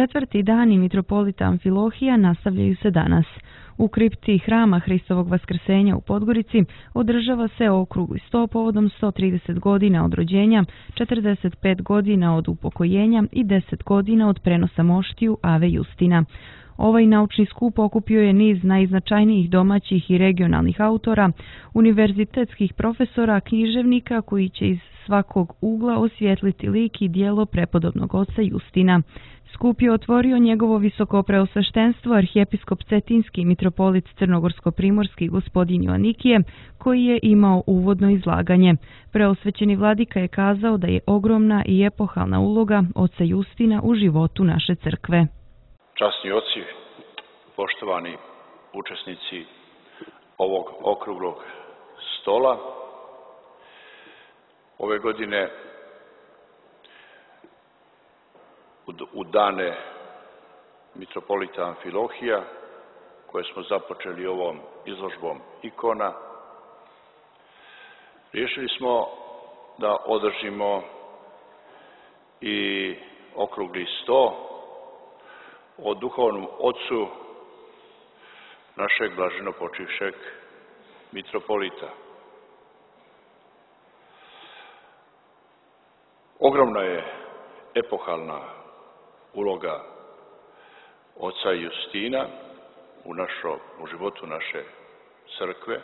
Četvrti dani mitropolita Amfilohija nastavljaju se danas. U kripti Hrama Hristovog Vaskrsenja u Podgorici održava se okrugli sto povodom 130 godina od rođenja, 45 godina od upokojenja i 10 godina od prenosa moštiju Ave Justina. Ovaj naučni skup okupio je niz najznačajnijih domaćih i regionalnih autora, univerzitetskih profesora, književnika koji će iz svakog ugla osvijetliti lik i djelo prepodobnog oca Justina. Skup je otvorio njegovo visokopreosveštenstvo arhijepiskop Cetinski mitropolit Crnogorsko-primorski gospodin Joanikije, koji je imao uvodno izlaganje. Preosvećeni vladika je kazao da je ogromna i epohalna uloga oca Justina u životu naše crkve. Časni oci, poštovani učesnici ovog okruglog stola, ove godine u dane mitropolita Amfilohija, koje smo započeli ovom izložbom ikona, riješili smo da održimo i okrugli sto o duhovnom ocu našeg blaženo počivšeg mitropolita. Ogromna je epohalna uloga oca Justina u životu naše crkve.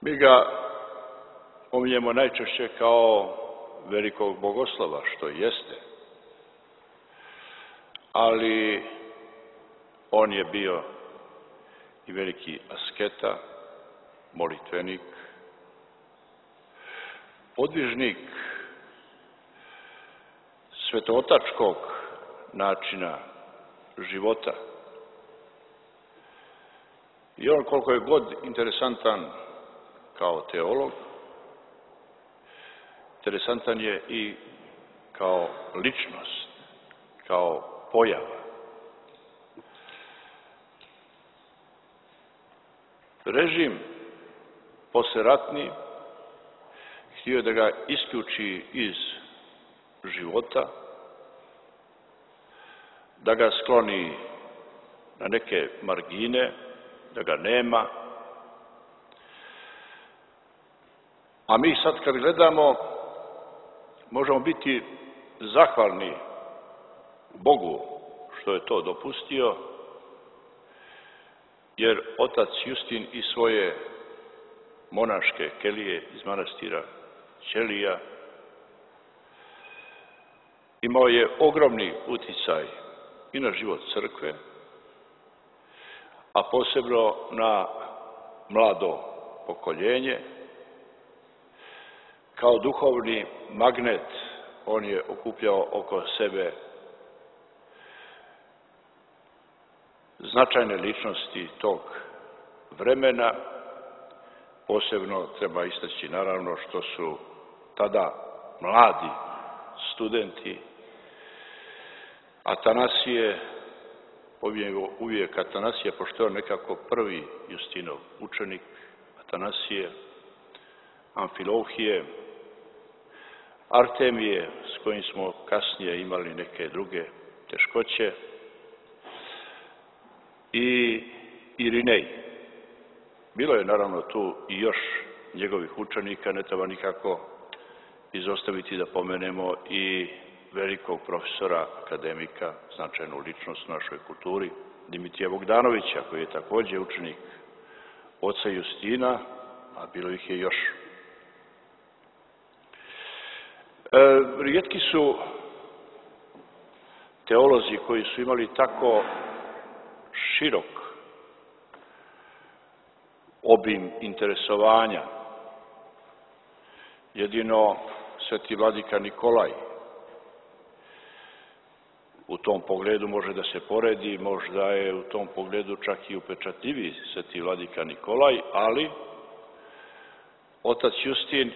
Mi ga pominjemo najčešće kao velikog bogoslova, što jeste, ali on je bio i veliki asketa, molitvenik, podvižnik svetootačkog načina života. I on, koliko je god interesantan kao teolog, interesantan je i kao ličnost, kao pojava. Režim posleratni htio da ga isključi iz života, da ga skloni na neke margine, da ga nema. A mi sad kad gledamo, možemo biti zahvalni Bogu što je to dopustio, jer otac Justin i svoje monaške kelije iz manastira Ćelija imao je ogromni uticaj i na život crkve, a posebno na mlado pokoljenje. Kao duhovni magnet on je okupljao oko sebe značajne ličnosti tog vremena. Posebno treba istaći naravno što su tada mladi studenti Atanasije, uvijek Atanasije, pošto je on nekako prvi Justinov učenik, Atanasije, Amfilohije, Artemije, s kojim smo kasnije imali neke druge teškoće, i Irinej. Bilo je naravno tu i još njegovih učenika, ne treba nikako izostaviti da pomenemo i velikog profesora, akademika, značajnu ličnost u našoj kulturi, Dimitrija Bogdanovića, koji je također učenik oca Justina, a bilo ih je još. Rijetki su teolozi koji su imali tako širok obim interesovanja. Jedino sveti vladika Nikolaj u tom pogledu može da se poredi, možda je u tom pogledu čak i upečatljiviji sveti vladika Nikolaj, ali otac Justin,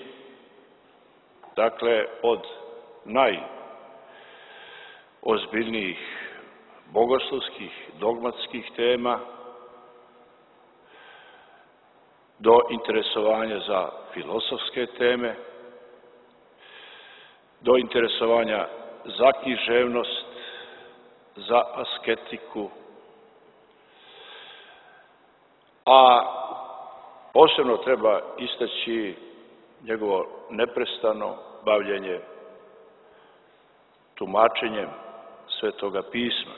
dakle, od najozbiljnijih bogoslovskih, dogmatskih tema do interesovanja za filozofske teme, do interesovanja za književnost, za asketiku, a posebno treba istaći njegovo neprestano bavljenje tumačenjem Svetoga pisma,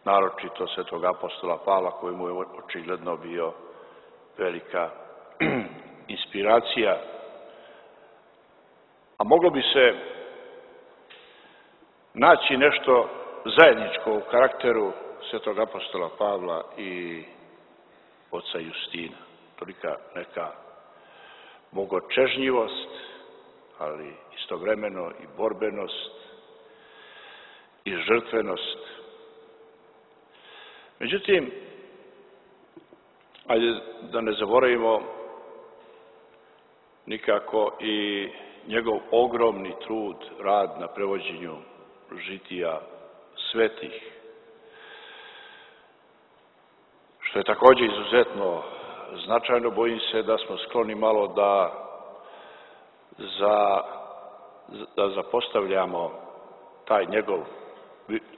naročito Svetog apostola Pavla, koji mu je očigledno bio velika inspiracija. A moglo bi se naći nešto zajedničko u karakteru Svetog apostola Pavla i oca Justina. Tolika neka bogočežnjivost, ali istovremeno i borbenost i žrtvenost. Međutim, ajde da ne zaboravimo nikako i njegov ogromni trud, rad na prevođenju žitija svetih, što je također izuzetno značajno. Bojim se da smo skloni malo da zapostavljamo taj njegov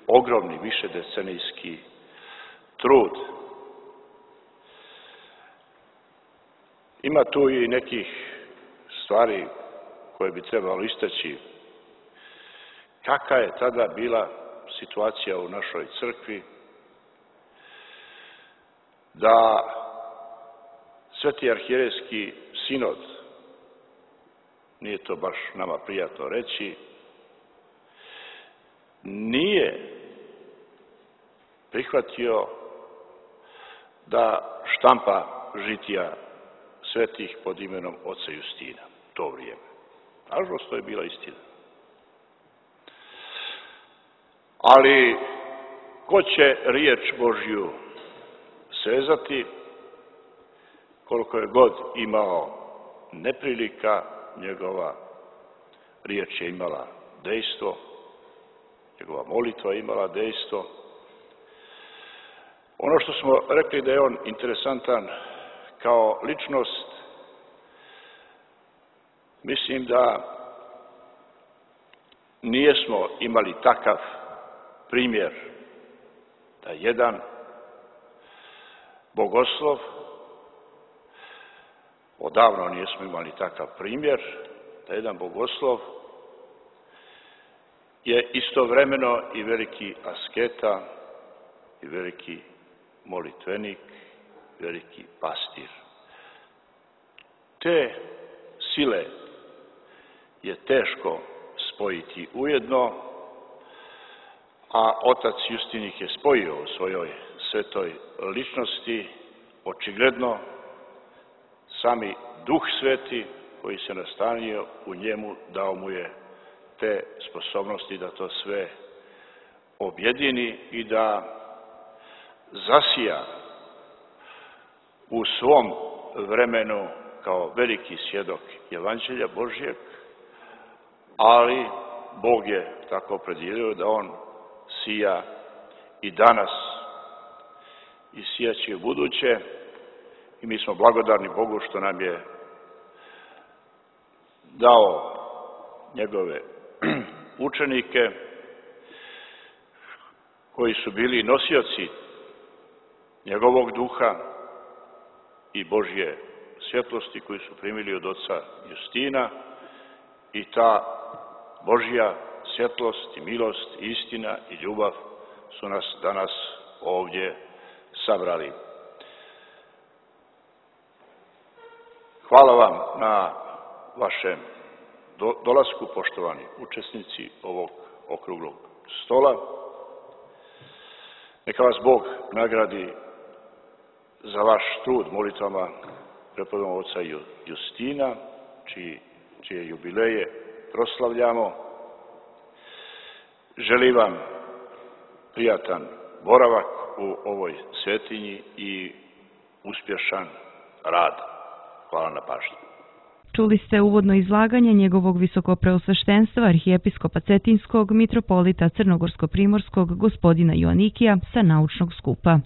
ogromni višedecenijski trud. Ima tu i nekih stvari koje bi trebalo istaći. Kakva je tada bila situacija u našoj crkvi, da Sveti arhijerejski sinod, nije to baš nama prijatno reći, nije prihvatio da štampa žitija svetih pod imenom oca Justina to vrijeme. Nažalost, to je bila istina. Ali ko će riječ Božju sezati, koliko je god imao neprilika, njegova riječ je imala dejstvo, njegova molitva je imala dejstvo. Ono što smo rekli da je on interesantan kao ličnost, mislim da nijesmo imali takav primjer da jedan bogoslov, odavno nijesmo imali takav primjer, da jedan bogoslov je istovremeno i veliki asketa, i veliki molitvenik, veliki pastir. Te sile je teško spojiti ujedno, a otac Justin ih je spojio u svojoj svetoj ličnosti. Očigledno sami Duh Sveti koji se nastanio u njemu dao mu je te sposobnosti da to sve objedini i da zasija u svom vremenu kao veliki svjedok Evanđelja Božjeg, ali Bog je tako opredjelio da on sija i danas i sijaće u buduće, i mi smo blagodarni Bogu što nam je dao njegove učenike koji su bili nosioci njegovog duha i Božje svjetlosti koji su primili od oca Justina, i ta Božja svjetlost i milost, i istina i ljubav su nas danas ovdje sabrali. Hvala vam na vašem dolasku, poštovani učesnici ovog okruglog stola. Neka vas Bog nagradi za vaš trud molitvama prepodobnog oca Justina, čije jubileje proslavljamo. Želim vam prijatan boravak u ovoj svetinji i uspješan rad. Hvala na pažnji. Čuli ste uvodno izlaganje njegovog visokopreosveštenstva arhijepiskopa Cetinskog mitropolita Crnogorsko-primorskog gospodina Joanikija sa naučnog skupa.